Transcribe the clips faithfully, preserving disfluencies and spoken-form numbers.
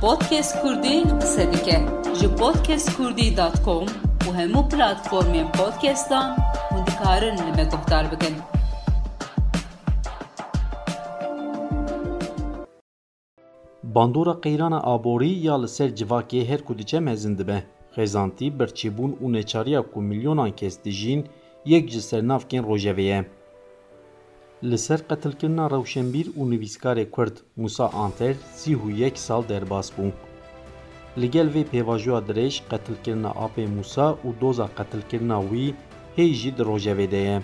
Podcast Kurdî qise dike. Ji podcast kurdî dot com û hemû platformên podcastan hûn dikarin li me guhdar bikin. Bandora qeyrana aborî ya li ser civakê her ku diçe mezin dibe. Xêzantî, birçîbûn û neçariya ku milyonan kes dijîn, yek ji sernavkên rojevê ye. Li ser qetilkirina rewşenbîr û nivîskarê Kurd Musa Anter sî û yek sal derbas bû. Li gel vê pêvajoya dirêj, qetilkirina apê Musa û doza qetilkirina wî hê jî di rojevê de ye.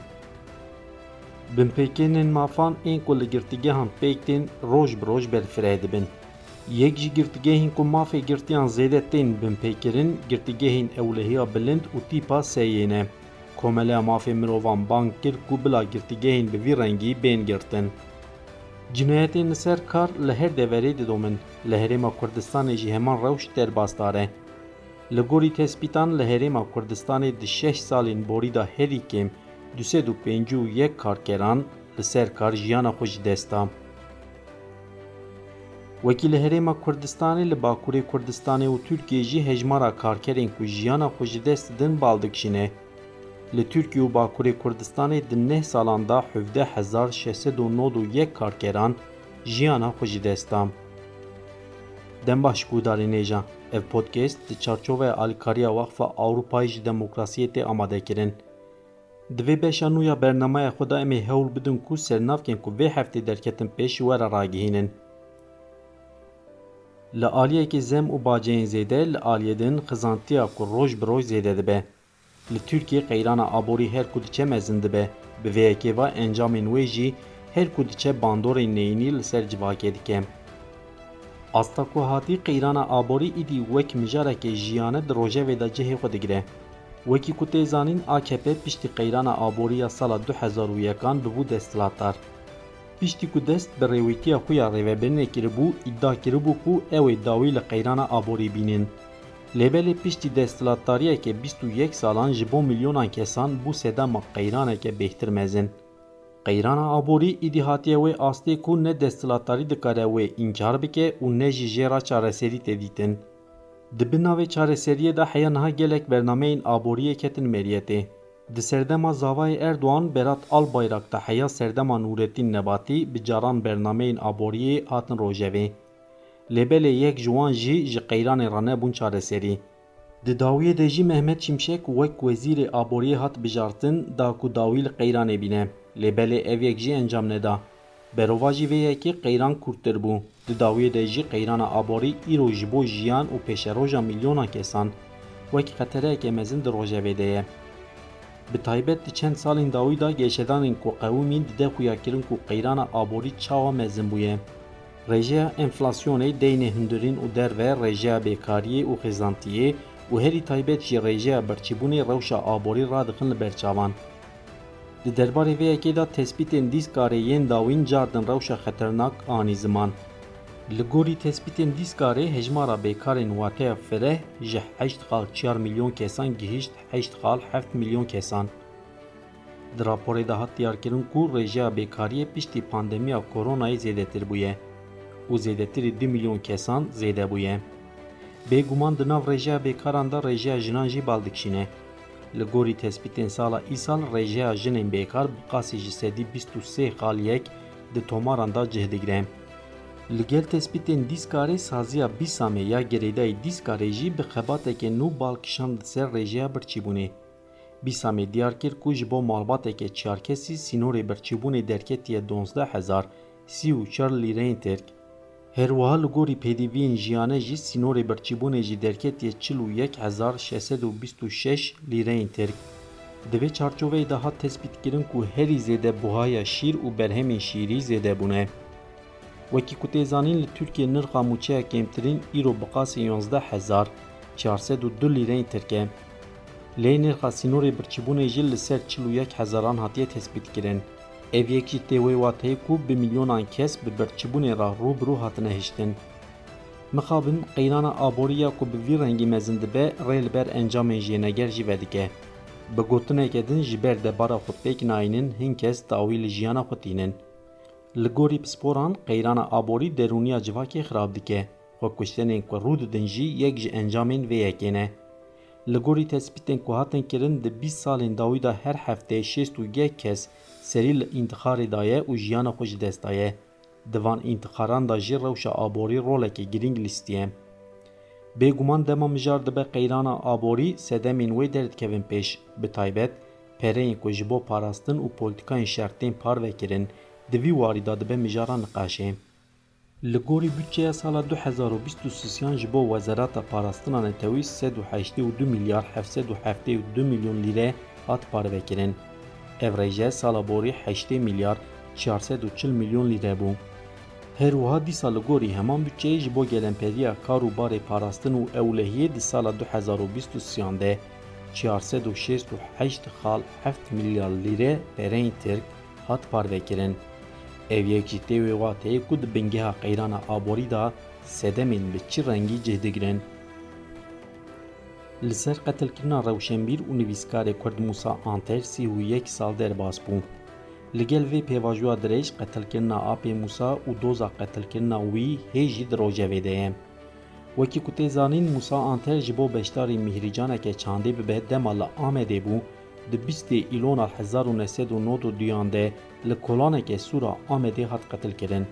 Binpêkirinên mafan ên ku li girtîgehan pêk tên roj bi roj berfireh dibin. Yek ji girtîgehên ku mafê girtiyan zêde tên binpêkirin, girtîgehên ewlehiya bilind û tîpa sê yê ne. Komeleya Mafê Mirovan bang kir ku bila girtîgehên bi vî rengî bên girtin. Cinayetên li ser kar li her deverê didomin. Li Herêma Kurdistanê jî heman rewş derbasdar e. Li gorî tespîtan, li Herêma Kurdistanê di şeş salên borî de herî kêm du sed û pêncî û yek karkeran li ser kar jiyana xwe ji dest da. Wekî li Herêma Kurdistanê, li Bakurê Kurdistanê û Tirkiyê jî hejmara karkerên ku jiyana xwe ji dest didin bal dikişîne. Li Tirkiye û Bakurê Kurdistanê di neh salan de hevdeh hezar şeş sed û nod û yek karkeran jiyana xwe ji dest da. Dem baş guhdarên hêja. Ev podcast di çarçoveya alîkariya Waqfa Ewropayê ji Demokrasiyê tê amadekirin. Di vê beşa nû ya bernameya xwe de em ê hewl bidin ku sernavkên ku vê heftê derketin pêş ji we re ragihînin. Li aliyekê zem û baceyên zêde, li aliyê din xizantiya ku roj bi roj zêde dibe. Li Tirkiyê qeyrana aborî her ku diçe mezin dibe. Bi vê yekê ve encamên wê jî her ku diçe bandorên neyînî li ser civakê dike. Asta ku hatî, qeyrana aborî îdî wek mijareke jiyane di rojevê de cihê xwe digire. Wekî ku tê zanîn, A K P piştî qeyrana aborî ya sala du hezar û yekan bibû desthilatdar. Piştî ku dest bi rêwîtiya xwe ya rêvebirinê kiribû, îdia kiribû ku ew ê dawî li qeyrana aborî bînin. Lê belê piştî desthilatdariyeke bîst û yek salan ji bo milyonan kesan bû sedema qeyraneke bêhtir mezin. Qeyrana aborî îdî hatiye wê astê ku ne desthilatdarî dikare wê înkar bike û ne jî jê re çareserî tê dîtin. Di bin navê çareseriyê de heya niha gelek bernameyên aboriyê ketin meriyetê. Di serdema zavayê Erdogan, Berat Albayrak de heya serdema Nûretîn Nebatî bi caran bernameyên aboriyê hatin rojevê. Lê belê yek ji wan jî ji qeyranê re nebûn çareserî. Di dawiyê de jî Mehmet Şimşek wek wezîrê aboriyê hat bijartin, da ku dawî li qeyranê bîne. Lê belê ev yek jî encam neda. Berovajî vê yekê qeyran kûrtir bû. Di dawiyê de jî qeyrana aborî îro ji bo jiyan û pêşeroja milyonan kesan wek xetereyeke mezin di rojevê de ye. Bi taybet di çend salên dawî de geşedanên ku qewimîn dide xuyakirin ku qeyrana aborî çawa mezin bûye. Rêjeya enflasyonê, deynê hundirîn û derve, rêjeya bêkariyê û xêzantiyê û herî taybet jî rêjeya birçîbûnê rewşa aborî radixin li ber çavan. Di derbarê vê yekê de tespîtên dîskarê yên dawîn cardin rewşa xeternak anî ziman. Li gorî tespîtên dîskarê hejmara bêkarên wateya fireh ji heşt xal çar milyon kesan gihişt heşt xal heft milyon kesan. Di raporê de hat diyarkirin ku rêjeya bêkariyê piştî pandemiya koronayê zêdetir bûye û zêdetirî du milyon kesan zêde bûye. Bêguman di nav rêjeya bêkaran de rêjeya jinan jî bal dikişîne. Li gorî tespîtên sala îsal rêjeya jinên bêkar bi qasî ji sedî bîst û sê xal yek di tomaran de cih digire. Li gel tespîtên dîskarê saziya bîsamê ya girêdayî dîskarê jî bi xebateke nû bal kişand li ser rêjeya birçîbûnê. Bîsamê diyar kir ku ji bo malbateke çarkesî sînorê birçîbûnê derketiye duwazdeh hezar sî û çar lîreyên tirk. Her wiha li gorî pêdiviyên jiyane jî sînorê birçîbûnê jî derketiye çil û yek hezar şeş sed û bîst û şeş lîreyên tirk. Di vê çarçoveyê de hat tespîtkirin ku herî zêde buhaya şîr û berhemên şîrî zêde bûne. Wekî ku tê zanîn, li Tirkiyê nirxa mûçeya kêmtirîn îro bi qasî yonzdeh hezar çar sed û du lîreyên tirk e. Lê nirxa sînorê birçîbûnê jî li ser çil û yek hezaran hatiye tespîtkirin. Ev yek jî tê wê wateyê ku bi milyonan kes bi birçîbûnê re rû bi rû hatine hiştin. Mixabin qeyrana aborî ya ku bi vî rengî mezin dibe, rê li ber encamên jêneger jî vedike. Bi gotineke din, ji ber debara xwe pêk nayînin, hin kes dawî li jiyana xwe tînin. Li gorî pisporan, qeyrana aborî derûniya civakê xirab dike. Xwekuştinên ku rû didin jî yek ji encamên vê yekê ne. Li gorî tespîtên ku hatin kirin, di bîst salên dawî de her hefteyê şêst û yek kes serî li întixarê daye û jiyana xwe ji dest daye. Di van întixaran de jî rewşa aborî roleke girîng lîstiye. Bêguman dema mijar dibe qeyrana aborî, sedemên wê derdikevin pêş, bi taybet pereyên ku ji bo parastin û polîtikayên şer tên parve kirin, di vî warî de dibe mijara niqaşê. Li gorî budçeya sala du hezar û bîst û sisiyan ji bo Wezareta Parastina Netewî sed û heştê û du milyar heft sed û heftê û du milyon lîre hat parvekirin. Ev rêje sala borî heştê milyar çar sed û çil milyon lîre bû. Her wiha dîsa li gorî heman budçeyê ji bo gelemperîya kar û barê parastin û ewlehiyê di sala du hezar û bîst û sisiyan de çar sed û şêst û heşt xal heft milyar lîre pereyên Tirk hat parvekirin. Ev yek jî tê wê wateyê ku di bingeha qeyrana aborî de sedemên bi çi rengî cih digirin. Li ser qetilkirina rewşenbîr û nivîskarê Kurd Mûsa Anter sî û yek sal derbas bû. Li gel vê pêvajoya dirêj qetilkirina apê Mûsa û doza qetilkirina wî hê jî di rojevê de ye. Wekî ku tê zanîn, Mûsa Anter ji bo beşdarî mîhrîcaneke çandê bibe dema li Amedê bû, di bîstê Îlona hezar û neh sed û nod û duyan de li kolaneke sor a Amedê hat qetilkirin.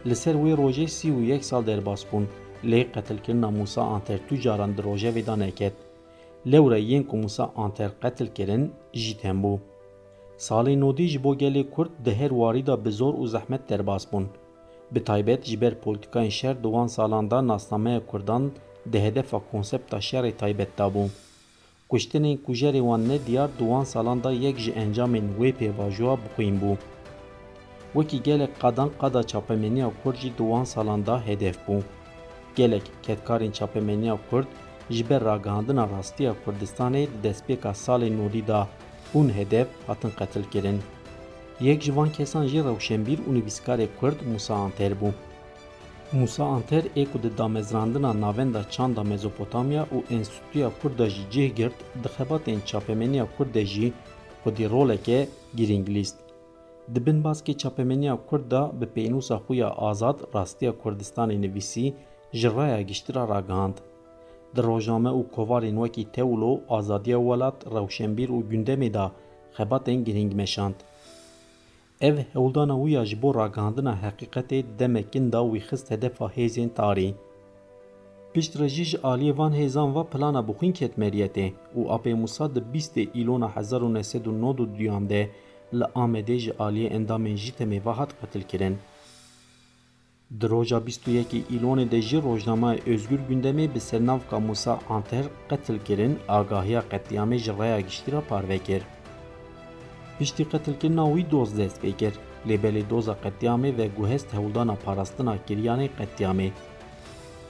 Li ser wê rojê sî û yek sal derbas bûn, lê qetilkirina Mûsa Anter tu caran di rojevê de neket. Lewre yên ku Mûsa Anter qetil kirin, jîtem bû. Salê nodî ji bo gelê Kurd di her warî de bi zor û zehmet derbas bûn. Bi taybet ji ber polîtikayên şer di wan salan de nasnameya Kurdan di hedefa konsepta şerê taybet de bû. Kuştinên kujerê wan nediyar di wan salan de yek ji encamên wê pêvajoya bixwîn bû. Wekî gelek qadan qada çapemeniya Kurd jî di wan salan de hedef bû. Gelek kedkarên çapemeniya Kurd ji ber ragihandina rastiya Kurdistanê di destpêka salên nodî de bûn hedef, hatin qetilkirin. Yek ji van kesan jî rewşenbîr û nivîskarê Kurd Mûsa Anter bû. Mûsa Anter ê ku di damezrandina Navenda Çanda Mezopotamya û Enstîtuya Kurd de jî cih girt, di xebatên çapemeniya Kurd de jî xwedî roleke girîng lîst. Di bin baskê çapemeniya Kurd de bi pênûsa xwe ya Azad, Rastiya Kurdistanê nivîsî, ji raya giştî re ragihand. Di rojname û kovarên wekî Tewlo, Azadiya Welat, Rewşenbîr û Gundemê de xebatên girîng meşand. Ev hewldana wî ya ji bo ragihandina heqîqetê di demek kin de wî xist hedefa hêzên tarî. Piştre jî ji aliyê van hêzan ve plana bixwîn ket meriyetê û apê Mûsa di bîstê Îlona hezar û neh sed û nod û duyan de li Amedê ji aliyê endamên JÎTEMê ve hat qetilkirin. Di roja bîst û yekê Îlonê de jî rojnameya Özgür Gündemê bi sernavka Mûsa Anter qetilkirin agahiya qetlîamê ji raya giştî re parve kir. Piştî qetilkirina wî doz dest pê kir, lê belê doza qetlîamê veguhest hewldana parastina kiriyanê qetlîamê.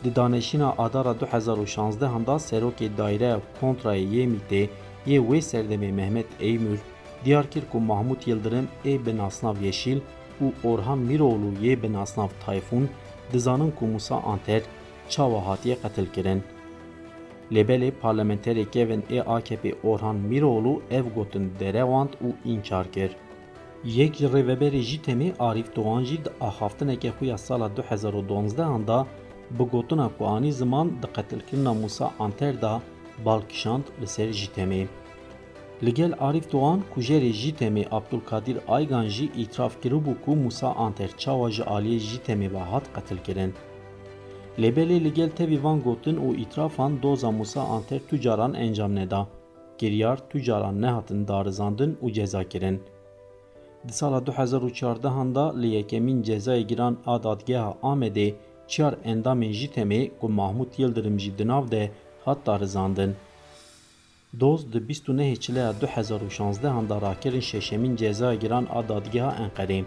Di danişîna Adara du hezar û şanzdehan de serokê Daireya Kontrayê yê MÎT'ê yê wê serdemê Mehmet Eymür diyar kir ku Mahmut Yildirim ê bi nasnav Yeşîl û Orhan Mîroğlu yê bi nasnav Tayfûn dizanin ku Mûsa Anter çawa hatiye qetilkirin. Lê belê parlamenterê kevin ê A K P Orhan Mîroğlu ev gotin derewand û înçar kir. Yek ji rêveberê JÎTEMê Arîf Doğan jî di axaftineke xwe ya sala du hezar û donzdehan de bi gotina ku anî ziman di qetilkirina Mûsa Anter de bal kişand li ser JÎTEMê. Li gel Arîf Doğan, kujerê JÎTEMê Abdulkadir Aygan jî îtiraf kiribû ku Mûsa Anter çawa ji aliyê JÎTEMê ve hat qetilkirin. Lê belê li gel tevî van gotin û îtirafan doza Mûsa Anter tu caran encam neda. Kiryar tu caran nehatin darizandin û cezakirin. Di sala du hezar û çardehan de li yekemîn Cezayê Giran a Dadgeha Amedê çiyar endamên JÎTEMê ku Mahmut Yildirim jî di nav de hat darizandin. Doz di bîst û nehê Çileya du hezar û şanzdehan de rakirin şeşemîn Cezaya Giran a Dadgeha Enqerê.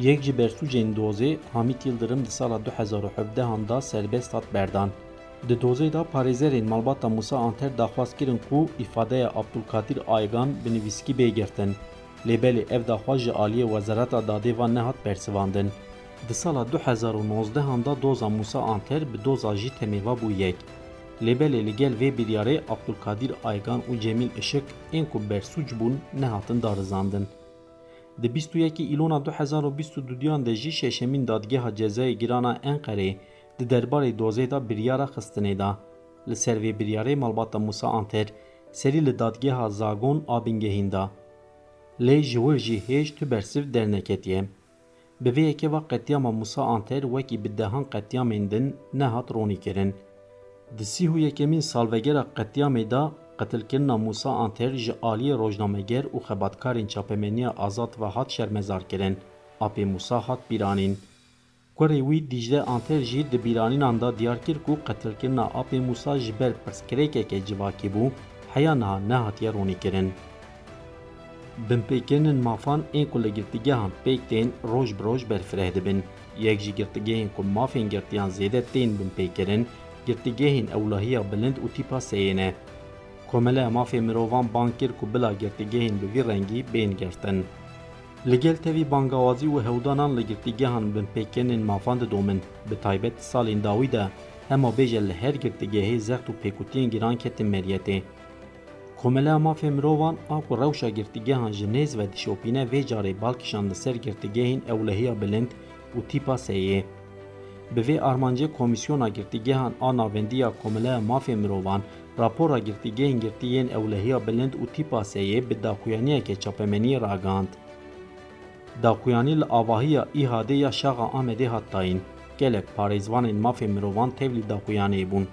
Yek ji bersûcên dozê Hamît Yildirim di sala du hezar û hevdehan de serbest hat berdan. Di dozê de parêzerên malbata Mûsa Anter daxwaz kirin ku îfadeya Abdulkadir Aygan bi nivîskî bê girtin. Lê belê ev daxwaz ji aliyê Wezareta Dadê ve nehat bersivandin. Di sala du hezar û nozdehan de doza Mûsa Anter bi doza JÎTEMê ve bû yek. Lê belê li gel vê biryarê Abdulkadir Aygan û Cemîl Işık ên ku bersûc bûn nehatin darizandin. Di bîst û yekê Îlona du hezar û bîst û duduyan de jî şeşemîn Dadgeha Cezayê Giran a Enqerê Di derbarê dozê de biryara xistinê da. Li ser vê biryarê malbata Mûsa Anter serî li dadgeha Zagon a bingehîn da. Lê ji wir jî hêj tu bersiv derneketiye. Bi vê yekê ve qetlîama Mûsa Anter wekî bi dehan qetlîamên din nehat ronîkirin. Di sî û yekemîn salvegera qetlîamê de qetilkirina Mûsa Anter ji aliyê rojnameger û xebatkarên çapemeniya azad ve hat şermezarkirin. Apê Mûsa hat bîranîn. Kurê wî Dîcle Anter jî di bîranînan de diyar kir ku qetilkirina apê Mûsa ji ber pirsgirêkeke civakî bû, heya niha nehatiye ronîkirin. Binpêkirinên mafan ên ku li girtîgehan pêk tên roj bi roj berfireh dibin. Yek ji girtîgehên ku mafên girtiyan zêde tên binpêkirin, girtîgehên ewlehiya bilind û tîpa seyê ne. Komeleya Mafê Mirovan bang kir ku bila girtîgehên bi vî rengî bên girtin. Li gel tevî bangawazî û hewdanan li girtîgehan binpêkirinên mafan didomin, bi taybet di salên dawî de hema bêje li her girtîgehê zext û pêkutiyên giran ketin meriyetê. Komeleya Mafê Mirovan a ku rewşa girtîgehan ji nêz ve dişopîne vê carê bal kişand li ser girtîgehên ewlehiya bilind û tîpa seyê. Bi vê armancê Komîsyona Girtîgehan a Navendî ya Komeleya Mafê Mirovan rapora girtîgehên girtî yên ewlehiya bilind û tîpa seyê bi daxuyaniyeke çapemeniyê ragihand. Daxuyanî li avahiya ÎHDê ya Şaxa Amedê hat dayîn. Gelek parêzvanên mafê mirovan tevlî daxuyaniyê bûn.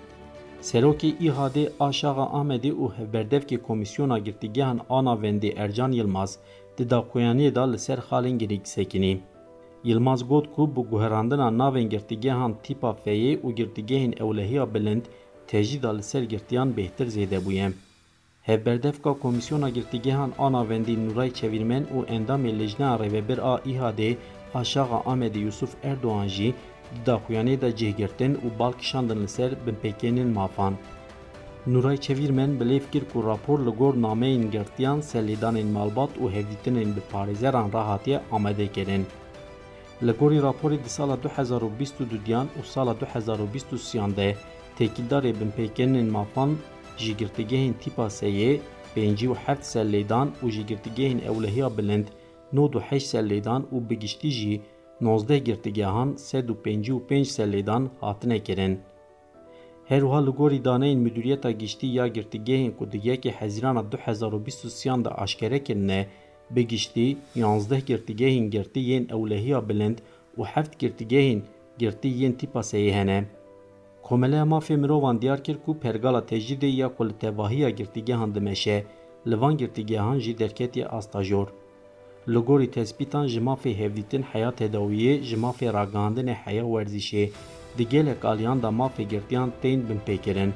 Serokê ÎHDê a Şaxa Amedê û hevberdevkê Komîsyona Girtîgehan a Navendê Ercan Yilmaz di daxuyaniyê de li ser xalên girîk sekinî. Yilmaz got ku bi guherandina navên girtîgehan tîpa feyê û girtîgehên ewlehiya bilind tecrîda li ser girtiyan bêhtir zêde bûye. Hevberdevka Komîsyona Girtîgehan a Navendî Nuray Çevîrmen û endamê Lijneya Rêvebir a ÎHDê a Şaxa Amedê Yusuf Erdogan jî di daxuyaniyê de cih girtin û bal kişandin li ser binpêkirinên mafan. Nuray Çevîrmen bilêv kir ku rapor li gor nameyên girtiyan, serlêdanên malbat û hevdîtinên bi parêzeran re hatiye amade kirin. Li gorî raporê di sala du hezar û bîst û duyan û sala du hezar û bîst û sêyan de têkildarê binpêkirinên mafan ji girtîgehên tîpa seyê pêncî û heft serlêdan û ji girtîgehên ewlehiya bilind nod û heşt serlêdan û bi giştî jî nozdeh girtîgehan sed û pêncî û pênc serlêdan hatine kirin. Her wiha li gorî daneyên Midûriyeta Giştî ya Girtîgehên ku di yekê Hezîrana du hezar û bîst û sêyan de aşkere kirine, bi giştî yanzdeh girtîgehên girtî yên ewlehiya bilind û heft girtîgehên girtî yên tîpa seyê hene. Komeleya Mafê Mirovan diyar kir ku pergala tecrîdê ya ku li tevahiya girtîgehan dimeşe, li van girtîgehan jî derketiye asta jor. Li gorî tespîtan ji mafê hevdîtin heya tedawiyê, ji mafê ragihandinê heya werzîşê di gelek aliyan de mafê girtiyan tên binpêkirin.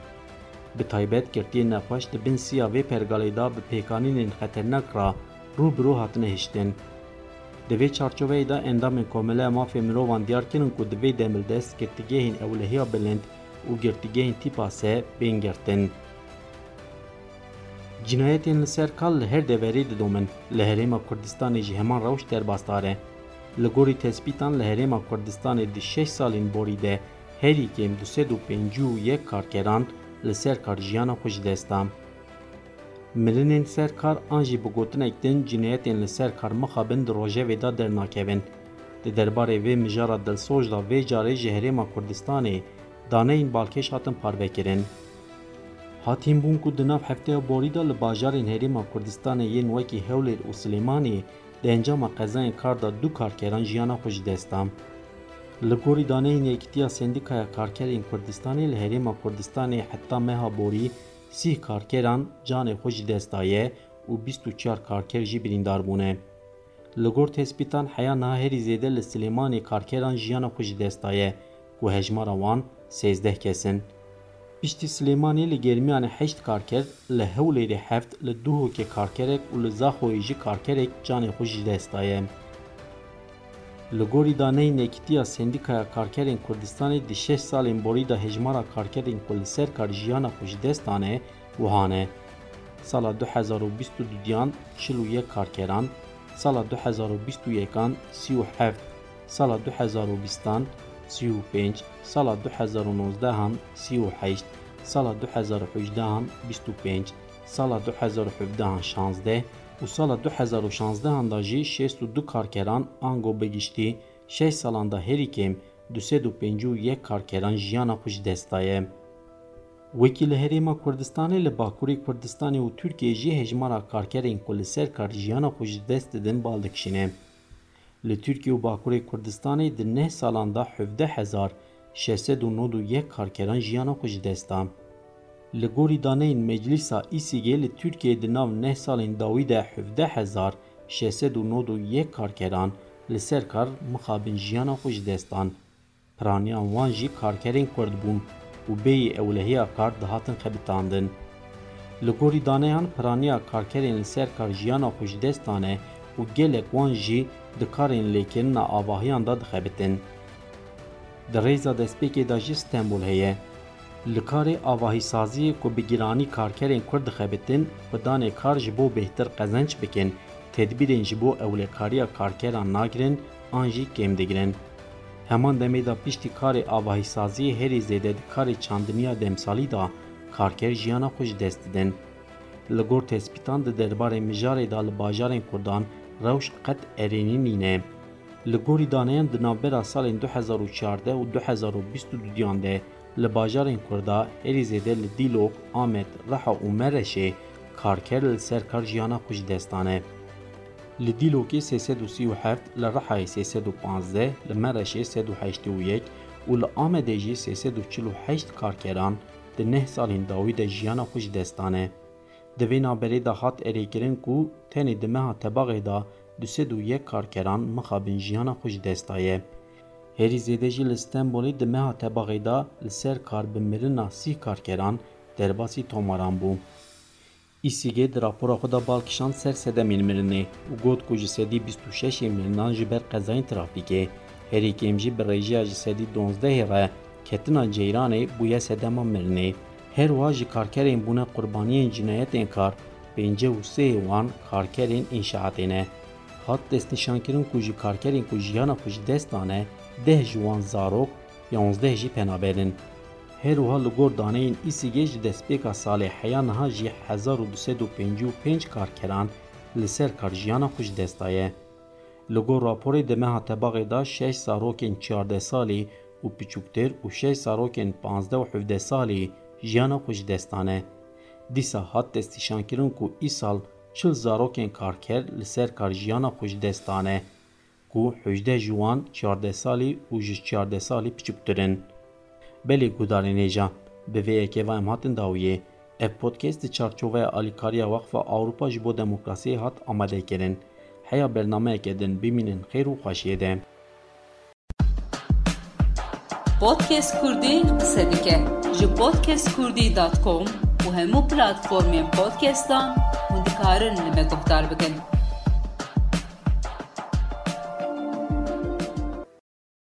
Bi taybet girtiyên nexweş di bin siya vê pergalê de bi pêkanînên xeternak re rû bi rû hatine hiştin. Di vê çarçoveyê de endamên Komeleya Mafê Mirovan diyar kirin ku divê demildest girtîgehên ewlehiya bilind û girtîgehên tîpa se bên girtin. Cinayetên li ser kar li her deverê didomin, li Herêma Kurdistanê jî heman rewş derbasdar e. Li gorî tespîtan li Herêma Kurdistanê di şeş salên borî de herî kêm du sed û pêncî û yek karkeran li ser kar jiyana xwe ji dest da. Mirinên ser kar an jî bi gotinek din cinayetên li ser kar mixabin di rojevê de dernakevin. Di derbarê vê mijara dilsoz de vê carê ji Herêma Kurdistanê daneyên balkêş hatin parvekirin. Hatîn bûn ku di nav hefteya borî de li bajarên Herêma Kurdistanê yên wekî Hewlêr û Silêmaniyê di encama qezayên kar de du karkeran jiyana xwe ji dest dan. Li gorî daneyên Yekîtiya Sendîkaya Karkerên Kurdistanê, li Herêma Kurdistanê heta meha borî sîh karkeran canê xwe ji dest daye û bîst û çar karker jî birîndar bûne. Li gor tespîtan heya niha herî zêde li Silêmanê karkeran jiyana xwe ji dest daye ku hejmara wan sêzdeh kes in. Piştî Silêmanê li Germiyanê heşt karker, li Hewlêrê heft, li Duhokê karkerek û li Zaxoyê jî karkerek canê xwe ji dest daye. Li gorî daneyên Yekîtiya Sendîkaya Karkerên Kurdistanê di şeş salên borî de hejmara karkerên ku li ser kar jiyana xwe ji dest dane wiha ne. Sala du hezar û bîst û duyan çil û yek karkeran, sala du hezar û bîst û yekan sî û heft, sala du hezar û bîstan sî û pênc, sala du hezar û nozdehan sî û heşt, sala du hezar û hejdehan bîst û pênc, sala du hezar û hevdehan şazdeh û sala du hezar û şazdehan de jî şêst û du karkeran ango bi giştî şeş salan de herî kêm du sed û pêncî û yek karkeran jiyana xwe ji dest daye. Wekî li Herêma Kurdistanê, li Bakurê Kurdistanê û Tirkiyeyê jî hejmara karkerên ku li ser kar jiyana xwe ji dest didin bal dikişîne. Li Tirkiye û Bakurê Kurdistanê di neh salan de hevdeh hezar şeş sed û nod û yek karkeran jiyana xwe ji dest da. Li gorî daneyên Meclîsa Îsîgê, li Tirkiyeyê di nav neh salên dawî de hevdeh hezar şeş sed û nod û yek karkeran li ser kar mixabin jiyana xwe ji dest dan. Piraniya wan jî karkerên Kurd bûn û bêyî ewlehiya kar dihatin xebitandin. Li gorî daneyan, piraniya karkerên li ser kar jiyana xwe ji dest dane û gelek wan jî di karên lêkirina avahiyan de dixebitin. Di rêza destpêkê de jî Stenbol heye. Li karê avahîsaziyê ku bi giranî karkerên Kurd dixebitin, xwedanê kar ji bo bêhtir qezenc bikin, tedbîrên ji bo ewlekariya karkeran nagirin an jî kêm digirin. Heman demê de piştî karê avahîsaziyê herî zêde di karê çandiniya demsalî de karker jiyana xwe ji dest didin. Li gor tespîtan di derbarê mijarê de li bajarên Kurdan rewş qet erênî nîne. Li gorî daneyan di navbera salên du hezar û çardeh û du hezar û bîst û duyan de li bajarên Kurda herî zêde li Dîlok, Amed, Riha û Mereşê karker li ser kar jiyana xwe ji dest dane. Li Dîlokê sê sed û sî û heft, li Rihayê sê sed û panzdeh, li Mereşê sed û heştê û yek û li Amedê jî sê sed û çil û heşt karkeran di neh salên dawî de jiyana xwe ji dest dane. Di vê navberê de hat erêkirin ku tenê di meha Tebaxê de du sed û yek karkeran mixabin jiyana xwe ji dest daye. Herî zêde jî li Stenbolê di meha Tebaxê de li ser kar bi mirina sî karkeran derbasî tomaran bû. Îsîgê di rapora xwe de bal kişand ser sedemên mirinê û got ku ji sedî bîst û şeş ên mirinan ji ber qezayên trafîkê, herî kêm jî bi rêjeya ji sedî donzdehê re ketina ceyranê bûye sedema mirinê. Her wiha ji karkerên bûne qurbaniyên cinayetên kar, pêncî û sê ê wan karkerên înşaatê ne. Hat destnîşankirin ku ji karkerên ku jiyana xwe ji dest dane, deh ji wan zarok, yanzdeh jî penaber in. Her wiha li gor daneyên Îsîgê ji destpêka salê heya niha jî hezar û du sed û pêncî û pênc karkeran li ser kar jiyana xwe ji dest daye. Li gor raporê di meha Tebaxê de şeş zarokên çardeh salî û piçûktir û şeş zarokên panzdeh û hevdeh salî jiyana xwe ji dest dane. Dîsa hat destnîşankirin ku îsal çil zarokên karker li ser kar jiyana xwe ji dest dane, ku hejdeh ji wan çardeh salî û ji çardeh salî piçûktir in. Belê guhdarên hêja, bi vê yekê ve em hatin dawiyê. Ev podcast di çarçoveya alîkariya Wexfa Ewropa ji bo Demokrasiyê hat amadekirin. Heya bernameyeke din bimînin xêr û xweşiyê de. Podcast Kurdî qise dike. Ji podcast kurdî dot com û hemû platformên podcastan hûn dikarin li me guhdar bikin.